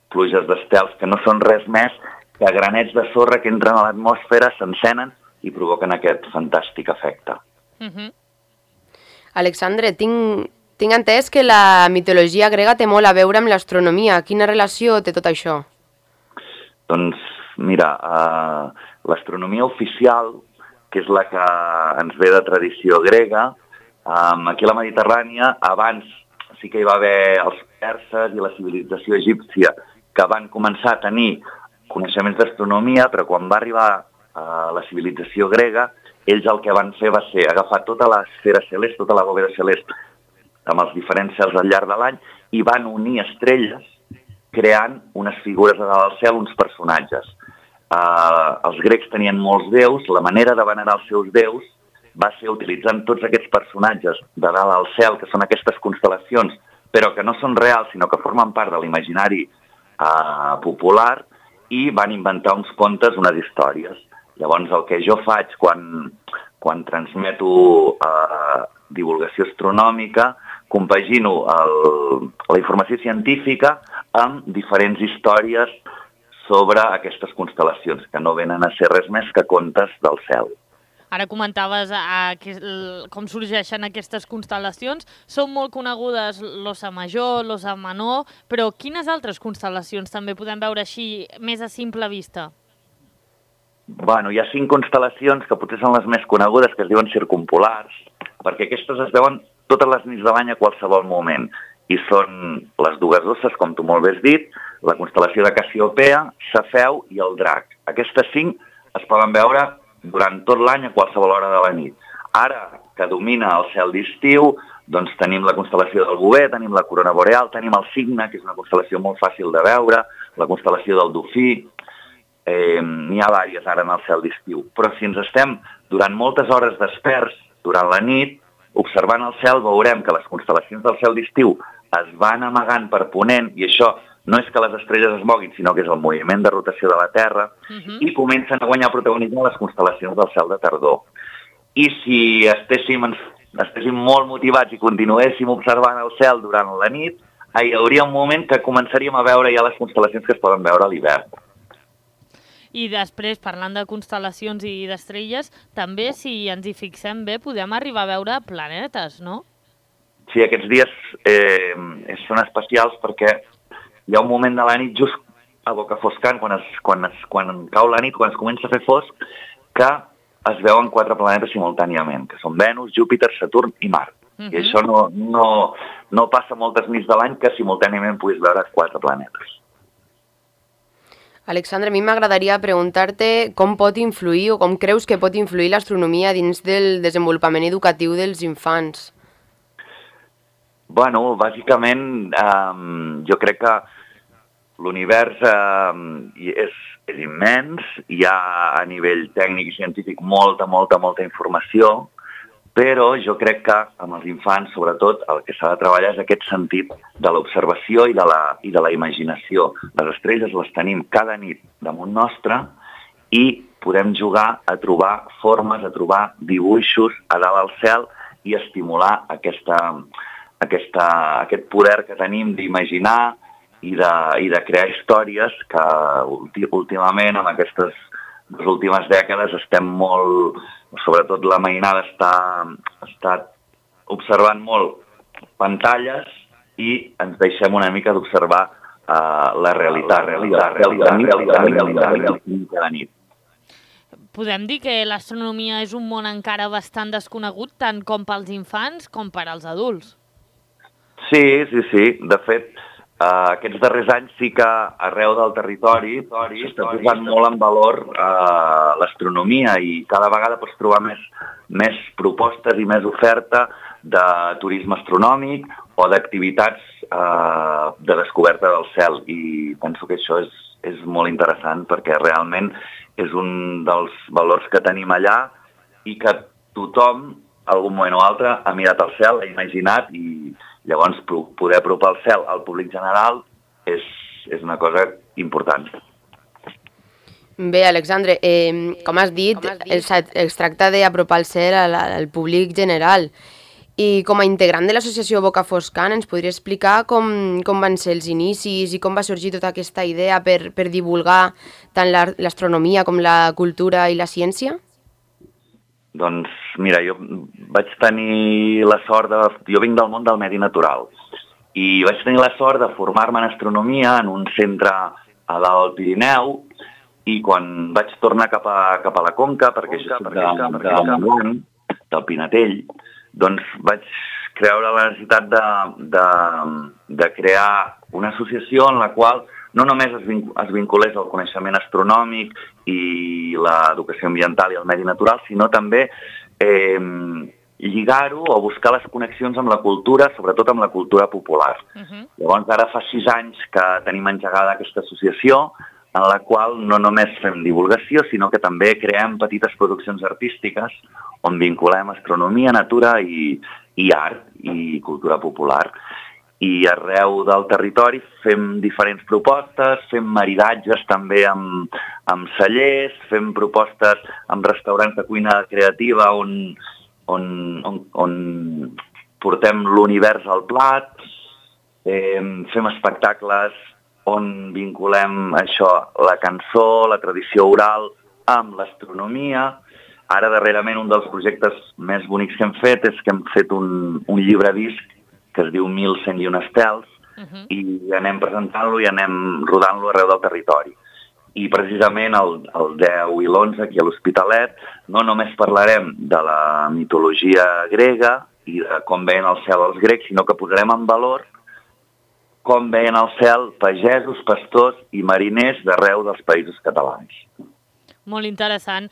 pluges d'estels que no són res més que granets de sorra que entren a l'atmosfera, s'encenen i provoquen aquest fantàstic efecte. Alexandre, tinc entès que la mitologia grega té molt a veure amb l'astronomia. Quina relació té tot això? Doncs, mira, l'astronomia oficial, que és la que ens ve de tradició grega, aquí a la Mediterrània, abans sí que hi va haver els perses i la civilització egípcia que van començar a tenir coneixements d'astronomia, però quan va arribar a la civilització grega, ells el que van fer va ser agafar tota l'esfera celest, tota la bòveda celest, amb els diferents cels al llarg de l'any, i van unir estrelles creant unes figures de dalt al cel, uns personatges. Els grecs tenien molts déus, la manera de venerar els seus déus va ser utilitzant tots aquests personatges de dalt al cel, que són aquestes constel·lacions, però que no són reals, sinó que formen part de l'imaginari popular, i van inventar uns contes, unes històries. Llavors, el que jo faig quan transmeto divulgació astronòmica, compagino la informació científica amb diferents històries sobre aquestes constel·lacions, que no venen a ser res més que contes del cel. Ara comentaves com sorgeixen aquestes constel·lacions. Són molt conegudes l'Ossa Major, l'Ossa Menor, però quines altres constel·lacions també podem veure així més a simple vista? Bueno, hi ha 5 constel·lacions que potser són les més conegudes, que es diuen circumpolars, perquè aquestes es veuen totes les nits de l'any a qualsevol moment. i són les dues osses, com tu molt bé has dit, la constel·lació de Cassiopea, Cefeu i el Drac. Aquestes 5 es poden veure durant tot l'any a qualsevol hora de la nit. Ara que domina el cel d'estiu, doncs tenim la constel·lació del Bover, tenim la corona boreal, tenim el Cigne, que és una constel·lació molt fàcil de veure, la constel·lació del Dofí, n'hi ha diverses ara en el cel d'estiu. Però si ens estem durant moltes hores desperts durant la nit, observant el cel veurem que les constel·lacions del cel d'estiu es van amagant per ponent, i això no és que les estrelles es moguin, sinó que és el moviment de rotació de la Terra, i comencen a guanyar protagonisme les constel·lacions del cel de tardor. I si estéssim molt motivats i continuéssim observant el cel durant la nit, hi hauria un moment que començaríem a veure ja les constel·lacions que es poden veure a l'hivern. I després, parlant de constel·lacions i d'estrelles, també, si ens hi fixem bé, podem arribar a veure planetes, no? Sí, aquests dies són especials perquè hi ha un moment de la nit just a Bocafoscant, quan cau la nit, quan es comença a fer fosc, que es veuen 4 planetes simultàniament, que són Venus, Júpiter, Saturn i Mart. I això no passa moltes nits de l'any que simultàniament puguis veure 4 planetes. Alexandre, a mi m'agradaria preguntar-te com pot influir o com creus que pot influir l'astronomia dins del desenvolupament educatiu dels infants. Bueno, bàsicament jo crec que l'univers és immens, hi ha a nivell tècnic i científic molta informació, però jo crec que amb els infants, sobretot, el que s'ha de treballar és aquest sentit de l'observació i de la imaginació. Les estrelles les tenim cada nit damunt nostre i podem jugar a trobar formes, a trobar dibuixos a dalt al cel i estimular aquest poder que tenim d'imaginar i de crear històries que últimament, en aquestes 2 últimes dècades, estem molt, sobretot la mainada està observant molt pantalles i ens deixem una mica d'observar la realitat cada nit. Podem dir que l'astronomia és un món encara bastant desconegut, tant com pels infants com per als adults. Sí. De fet, aquests darrers anys sí que arreu del territori s'està posant molt en valor l'astronomia i cada vegada pots trobar més propostes i més oferta de turisme astronòmic o d'activitats de descoberta del cel. I penso que això és molt interessant perquè realment és un dels valors que tenim allà i que tothom, algun moment o altre, ha mirat al cel, ha imaginat i llavors poder apropar el cel al públic general és una cosa important. Bé, Alexandre, com has dit, es tracta d'apropar el cel al públic general. I com a integrant de l'associació Bocafoscant, ens podria explicar com van ser els inicis i com va sorgir tota aquesta idea per divulgar tant l'astronomia com la cultura i la ciència? Doncs mira, jo vaig tenir la sort jo vinc del món del medi natural i vaig tenir la sort de formar-me en astronomia en un centre a dalt del Pirineu i quan vaig tornar cap a la Conca, perquè jo soc del Pinatell, doncs vaig creure la necessitat de crear una associació en la qual no només es vinculés al coneixement astronòmic i l'educació ambiental i el medi natural, sinó també lligar-ho o buscar les connexions amb la cultura, sobretot amb la cultura popular. Llavors, ara fa 6 anys que tenim engegada aquesta associació, en la qual no només fem divulgació, sinó que també creem petites produccions artístiques on vinculem astronomia, natura i art i cultura popular. I arreu del territori fem diferents propostes, fem maridatges també amb cellers, fem propostes amb restaurants de cuina creativa on portem l'univers al plat, fem espectacles on vinculem això, la cançó, la tradició oral amb l'astronomia. Ara, darrerament, un dels projectes més bonics que hem fet és que hem fet un llibre-disc que es diu 1101 estels, i anem presentant-lo i anem rodant-lo arreu del territori. I precisament el 10 i l'11 aquí a l'Hospitalet no només parlarem de la mitologia grega i de com veien el cel els grecs, sinó que posarem en valor com veien el cel pagesos, pastors i mariners d'arreu dels països catalans. Molt interessant.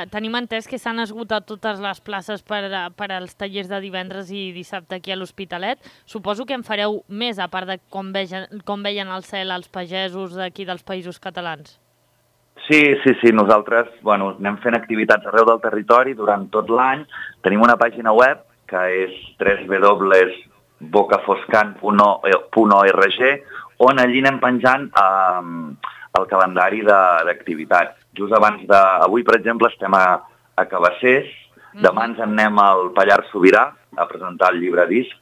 Tenim entès que s'han esgotat totes les places per als tallers de divendres i dissabte aquí a l'Hospitalet. Suposo que en fareu més, a part de com veien el cel els pagesos d'aquí dels països catalans. Sí. Nosaltres anem fent activitats arreu del territori durant tot l'any. Tenim una pàgina web que és www.bocafoscan.org, on allí anem penjant el calendari d'activitats. Just abans avui, per exemple, estem a Cabassers, demà ens en anem al Pallars Sobirà a presentar el llibre disc,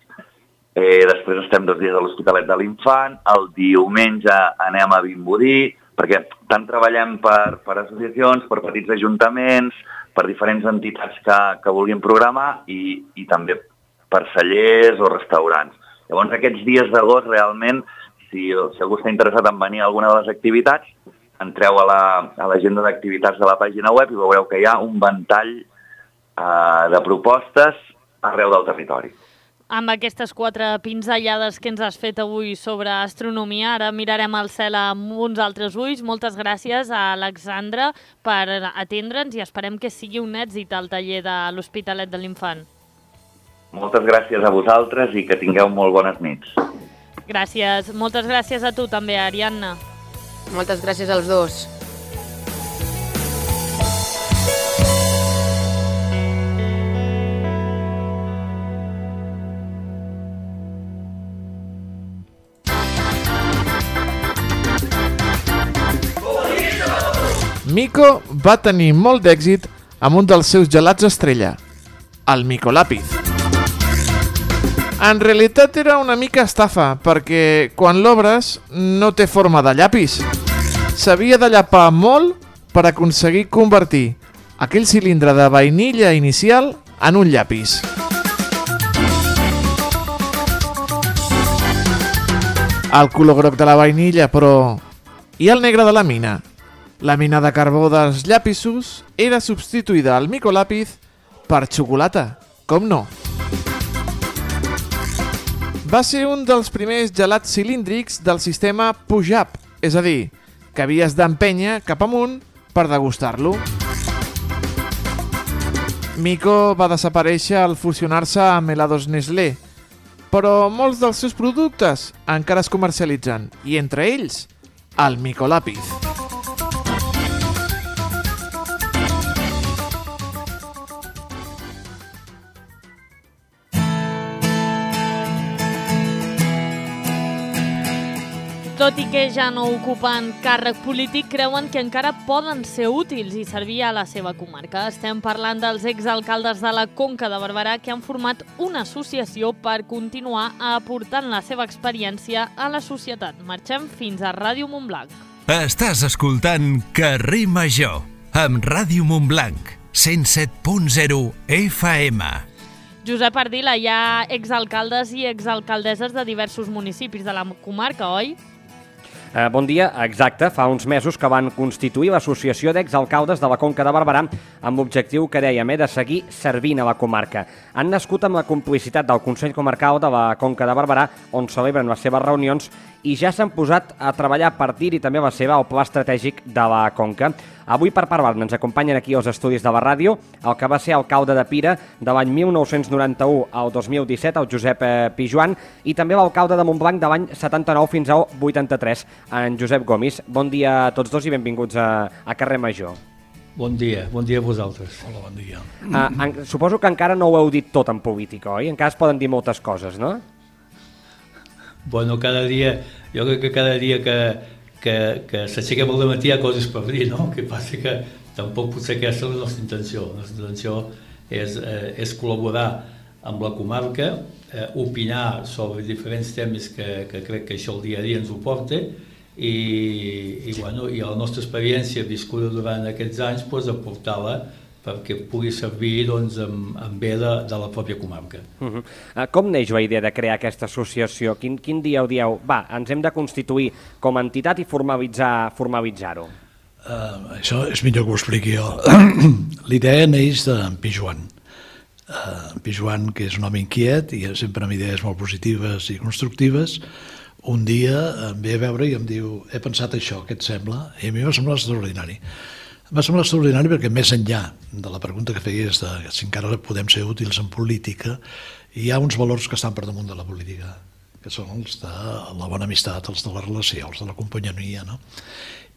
després estem 2 dies a l'Hospitalet de l'Infant, el diumenge anem a Vimbodí, perquè tant treballem per associacions, per petits ajuntaments, per diferents entitats que vulguin programar i també per cellers o restaurants. Llavors, aquests dies d'agost, realment, si algú està interessat en venir a alguna de les activitats, entreu a l'agenda d'activitats de la pàgina web i veureu que hi ha un ventall de propostes arreu del territori. Amb aquestes 4 pinzellades que ens has fet avui sobre astronomia, ara mirarem el cel amb uns altres ulls. Moltes gràcies a Alexandra per atendre'ns i esperem que sigui un èxit el taller de l'Hospitalet de l'Infant. Moltes gràcies a vosaltres i que tingueu molt bones nits. Gràcies. Moltes gràcies a tu també, Ariadna. Moltes gràcies als dos. Mico va tenir molt d'èxit amb un dels seus gelats estrella, el Micolàpiz. En realitat era una mica estafa, perquè quan l'obres no té forma de llapis. S'havia de llapar molt per aconseguir convertir aquell cilindre de vainilla inicial en un llapis. El color groc de la vainilla, però... I el negre de la mina? La mina de carbó dels llapisos era substituïda al Micolàpiz per xocolata, com no? Va ser un dels primers gelats cilíndrics del sistema push-up, és a dir, que havies d'empènyer cap amunt per degustar-lo. Mico va desaparèixer al fusionar-se amb helados Nestlé, però molts dels seus productes encara es comercialitzen, i entre ells, el Micolàpiz. Tot i que ja no ocupen càrrec polític, creuen que encara poden ser útils i servir a la seva comarca. Estem parlant dels exalcaldes de la Conca de Barberà que han format una associació per continuar aportant la seva experiència a la societat. Marxem fins a Ràdio Montblanc. Estàs escoltant Carrer Major, amb Ràdio Montblanc, 107.0 FM. Josep Ardila, hi ha exalcaldes i exalcaldesses de diversos municipis de la comarca, oi? Bon dia, exacte. Fa uns mesos que van constituir l'Associació d'Exalcaldes de la Conca de Barberà amb l'objectiu que dèiem de seguir servint a la comarca. Han nascut amb la complicitat del Consell Comarcal de la Conca de Barberà, on celebren les seves reunions, i ja s'han posat a treballar a partir i també a la seva el pla estratègic de la Conca. Avui per parlar-ne ens acompanyen aquí als estudis de la ràdio el que va ser alcalde de Pira de l'any 1991 al 2017, el Josep Pijuan, i també l'alcalde de Montblanc de l'any 79 fins al 83, en Josep Gomis. Bon dia a tots dos i benvinguts a Carrer Major. Bon dia a vosaltres. Hola, bon dia. Suposo que encara no ho heu dit tot en política, oi? Encara es poden dir moltes coses, no? Bueno, jo crec que cada dia que s'aixequem al matí hi ha coses per dir, no? Que passa que tampoc potser aquesta és la nostra intenció. La nostra intenció és col·laborar amb la comarca, opinar sobre diferents temes que crec que això el dia a dia ens ho porta i la nostra experiència viscuda durant aquests anys aportar-la perquè pugui servir en bé de la pròpia comarca. Com neix la idea de crear aquesta associació? Quin dia ho dieu? Va, ens hem de constituir com a entitat i formalitzar-ho. Això és millor que ho expliqui jo. L'idea neix d'en Pijuan. En Pijuan, que és un home inquiet i sempre amb idees molt positives i constructives, un dia em ve a veure i em diu he pensat això, què et sembla? I a mi m'ha semblat extraordinari. M'ha semblat extraordinari perquè més enllà de la pregunta que feies de si encara podem ser útils en política, hi ha uns valors que estan per damunt de la política, que són els de la bona amistat, els de la relació, els de la companyonia, no?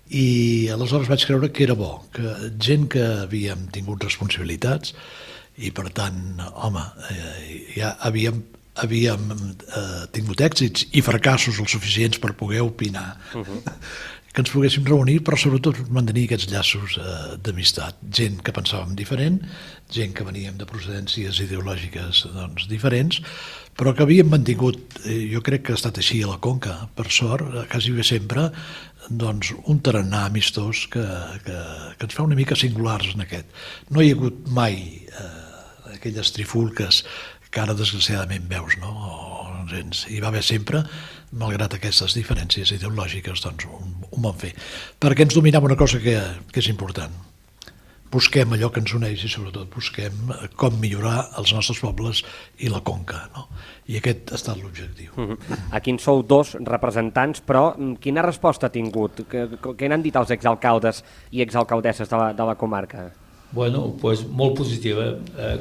I aleshores vaig creure que era bo, que gent que havíem tingut responsabilitats i per tant, home, ja havíem tingut èxits i fracassos els suficients per poder opinar, que ens poguéssim reunir, però sobretot mantenir aquests llaços d'amistat. Gent que pensàvem diferent, gent que veníem de procedències ideològiques diferents, però que havíem mantingut, jo crec que ha estat així a la Conca, per sort, quasi bé sempre, un tarannà amistós que ens fa una mica singulars en aquest. No hi ha hagut mai aquelles trifulques que ara desgraciadament veus, no? Hi va haver sempre, malgrat aquestes diferències ideològiques, ho vam fer. Perquè ens dominava una cosa que és important. Busquem allò que ens uneix i sobretot busquem com millorar els nostres pobles i la Conca, no? I aquest ha estat l'objectiu. Aquí en sou dos representants, però quina resposta ha tingut? Què n'han dit els exalcaldes i exalcaldesses de la comarca? Bueno, doncs molt positiva.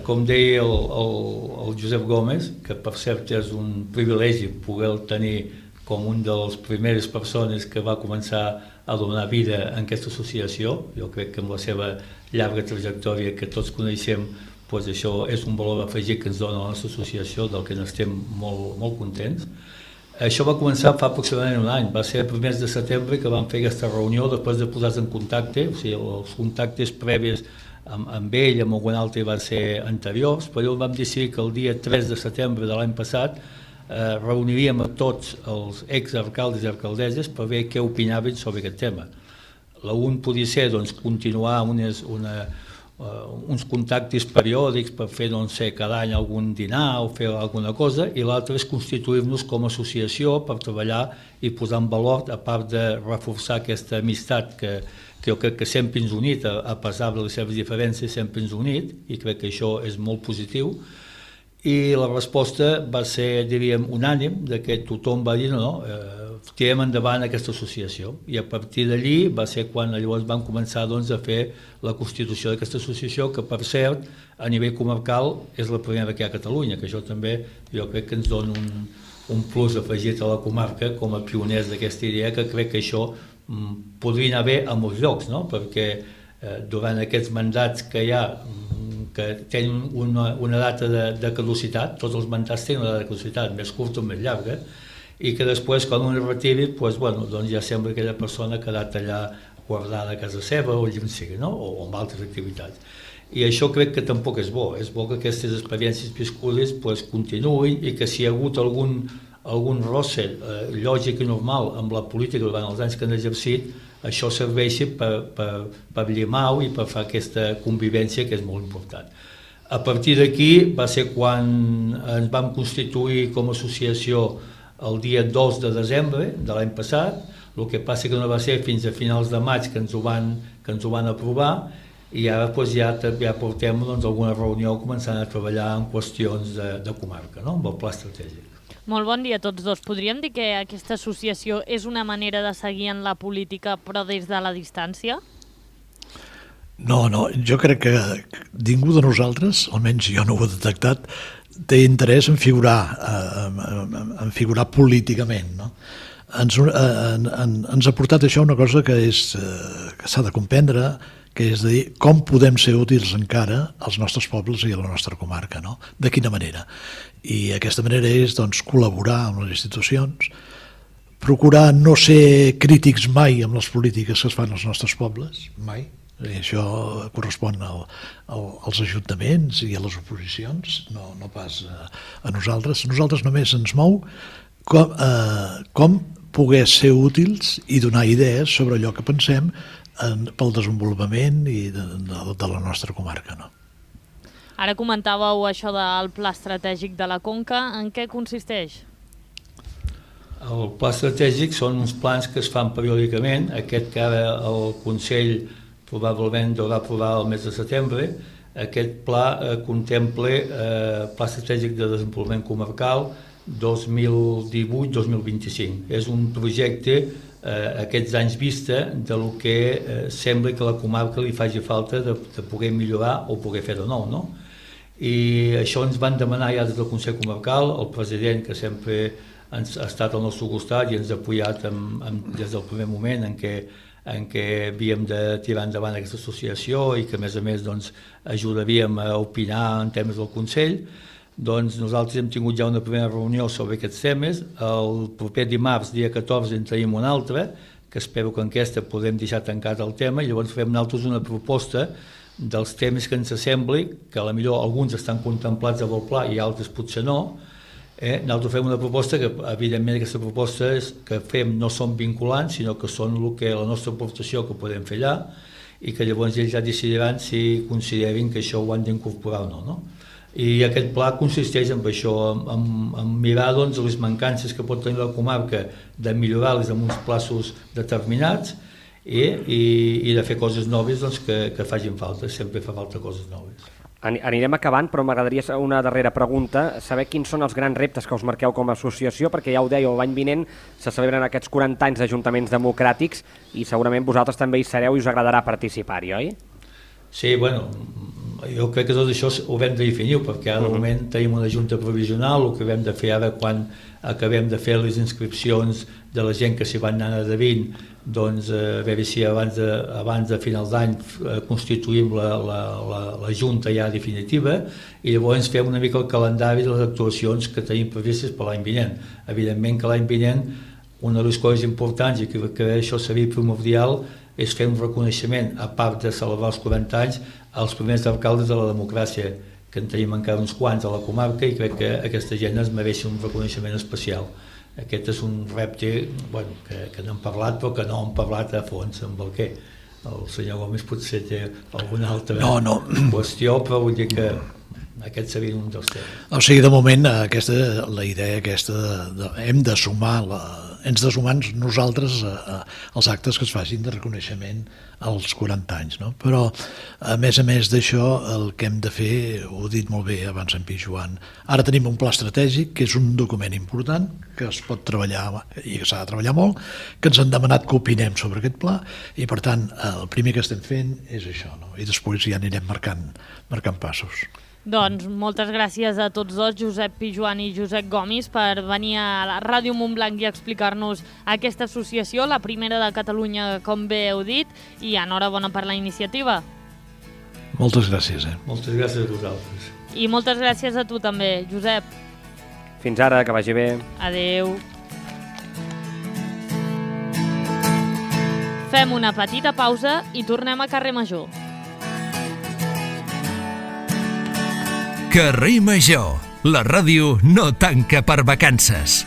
Com deia el Josep Gómez, que per cert és un privilegi poder tenir com un de les primeres persones que va començar a donar vida a aquesta associació. Jo crec que amb la seva llarga trajectòria que tots coneixem, doncs això és un valor afegit que ens dona la nostra associació, del que n'estem molt contents. Això va començar fa aproximadament un any, va ser el primer de setembre que vam fer aquesta reunió després de posar-se en contacte, o sigui, els contactes previs amb ell, amb algun altre van ser anteriors, però vam decidir que el dia 3 de setembre de l'any passat reuniríem a tots els exalcaldes i alcaldesses per veure què opinaven sobre aquest tema. L'un podia ser continuar uns contactes periòdics per fer cada any algun dinar o fer alguna cosa, i l'altre és constituir-nos com a associació per treballar i posar en valor, a part de reforçar aquesta amistat que jo crec que sempre ens ha unit, a pesar de les seves diferències, sempre ens ha unit, i crec que això és molt positiu. I la resposta va ser, diríem, unànim, que tothom va dir no, tirem endavant aquesta associació. I a partir d'allí va ser quan llavors vam començar a fer la constitució d'aquesta associació, que per cert, a nivell comarcal, és la primera que hi ha a Catalunya, que això també jo crec que ens dona un plus afegit a la comarca com a pioners d'aquesta idea, que crec que això podria anar bé a molts llocs, no? Perquè durant aquests mandats que hi ha, que tenen una data de caducitat, tots els mandats tenen una data de caducitat, més curta o més llarga, i que després, quan un es retiri, doncs ja sembla que aquella persona ha quedat allà guardada a casa seva o allà on sigui, no? O amb altres activitats. I això crec que tampoc és bo que aquestes experiències viscudes continuïn, i que si hi ha hagut algun rosse lògic i normal amb la política durant els anys que han exercit, això serveixi per llimar-ho i per fer aquesta convivència que és molt important. A partir d'aquí va ser quan ens vam constituir com a associació el dia 2 de desembre de l'any passat, el que passa que no va ser fins a finals de maig que ens ho van aprovar, i ara ja portem alguna reunió començant a treballar en qüestions de comarca, amb el pla estratègic. Molt bon dia a tots dos. Podríem dir que aquesta associació és una manera de seguir en la política, però des de la distància? No, jo crec que ningú de nosaltres, almenys jo no ho he detectat, té interès en figurar políticament, no? Ens ha portat això una cosa que s'ha de comprendre, que és dir com podem ser útils encara als nostres pobles i a la nostra comarca, no? De quina manera? I aquesta manera és col·laborar amb les institucions, procurar no ser crítics mai amb les polítiques que es fan als nostres pobles, mai. I això correspon als ajuntaments i a les oposicions, no pas a nosaltres. Nosaltres només ens mou com poder ser útils i donar idees sobre allò que pensem pel desenvolupament de la nostra comarca, no? Ara comentàveu això del pla estratègic de la Conca. En què consisteix? El pla estratègic són uns plans que es fan periòdicament. Aquest que ara el Consell probablement haurà aprovar el mes de setembre Aquest pla contempla Pla Estratègic de Desenvolupament Comarcal 2018-2025. És un projecte aquests anys vista de lo que sembla que a la comarca li faci falta de poder millorar o poder fer de nou, no? I això ens van demanar ja des del Consell Comarcal, el president, que sempre ha estat al nostre costat i ens ha apoyat des del primer moment en què havíem de tirar endavant aquesta associació i que a més ajudaríem a opinar en temes del Consell. Doncs nosaltres hem tingut ja una primera reunió sobre aquests temes. El proper dimarts, dia 14, en tenim una altra, que espero que en aquesta podem deixar tancat el tema, i llavors fem nosaltres una proposta dels temes que ens sembli, que potser alguns estan contemplats amb el pla i altres potser no. Nosaltres fem una proposta que, evidentment, aquestes propostes que fem no són vinculants, sinó que són la nostra aportació que podem fer allà, i que llavors ells ja decidiran si considerin que això ho han d'incorporar o no. I aquest pla consisteix en això, en mirar les mancances que pot tenir la comarca, de millorar-les en uns plaços determinats i de fer coses noves que facin falta, sempre fa falta coses noves. Anirem acabant, però m'agradaria una darrera pregunta, saber quins són els grans reptes que us marqueu com a associació, perquè ja ho dèieu, l'any vinent se celebren aquests 40 anys d'ajuntaments democràtics i segurament vosaltres també hi sereu i us agradarà participar-hi, oi? Sí, bueno, jo crec que tot això ho hem de definir, perquè ara de moment tenim una junta provisional, el que hem de fer ara quan acabem de fer les inscripcions de la gent que s'hi van anar adherint, doncs a veure si abans de final d'any constituïm la junta ja definitiva i llavors fem una mica el calendari de les actuacions que tenim previstes per l'any vinent. Evidentment que l'any vinent una de les coses importants i que això seria primordial és fer un reconeixement, a part de celebrar els 40 anys, als primers alcaldes de la democràcia, que en tenim encara uns quants a la comarca i crec que aquesta gent es mereix un reconeixement especial. Aquest és un repte que n'hem parlat, però que no hem parlat a fons amb el què. El senyor Gomis potser té alguna altra qüestió, però vull dir que aquest seria un dels temes. O sigui, de moment, la idea aquesta hem de sumar nosaltres als actes que es facin de reconeixement als 40 anys, no? Però a més d'això el que hem de fer, ho ha dit molt bé abans en Pi Joan, ara tenim un pla estratègic que és un document important que es pot treballar i que s'ha de treballar molt, que ens han demanat que opinem sobre aquest pla i per tant el primer que estem fent és això, no? I després ja anirem marcant passos. Doncs moltes gràcies a tots dos, Josep Pi Joan i Josep Gomis, per venir a la Ràdio Montblanc i explicar-nos aquesta associació, la primera de Catalunya, com bé heu dit, i enhorabona per la iniciativa. Moltes gràcies. Moltes gràcies a vosaltres. I moltes gràcies a tu també, Josep. Fins ara, que vagi bé. Adéu. Fem una petita pausa i tornem a Carrer Major. Carrer Major, la ràdio no tanca per vacances.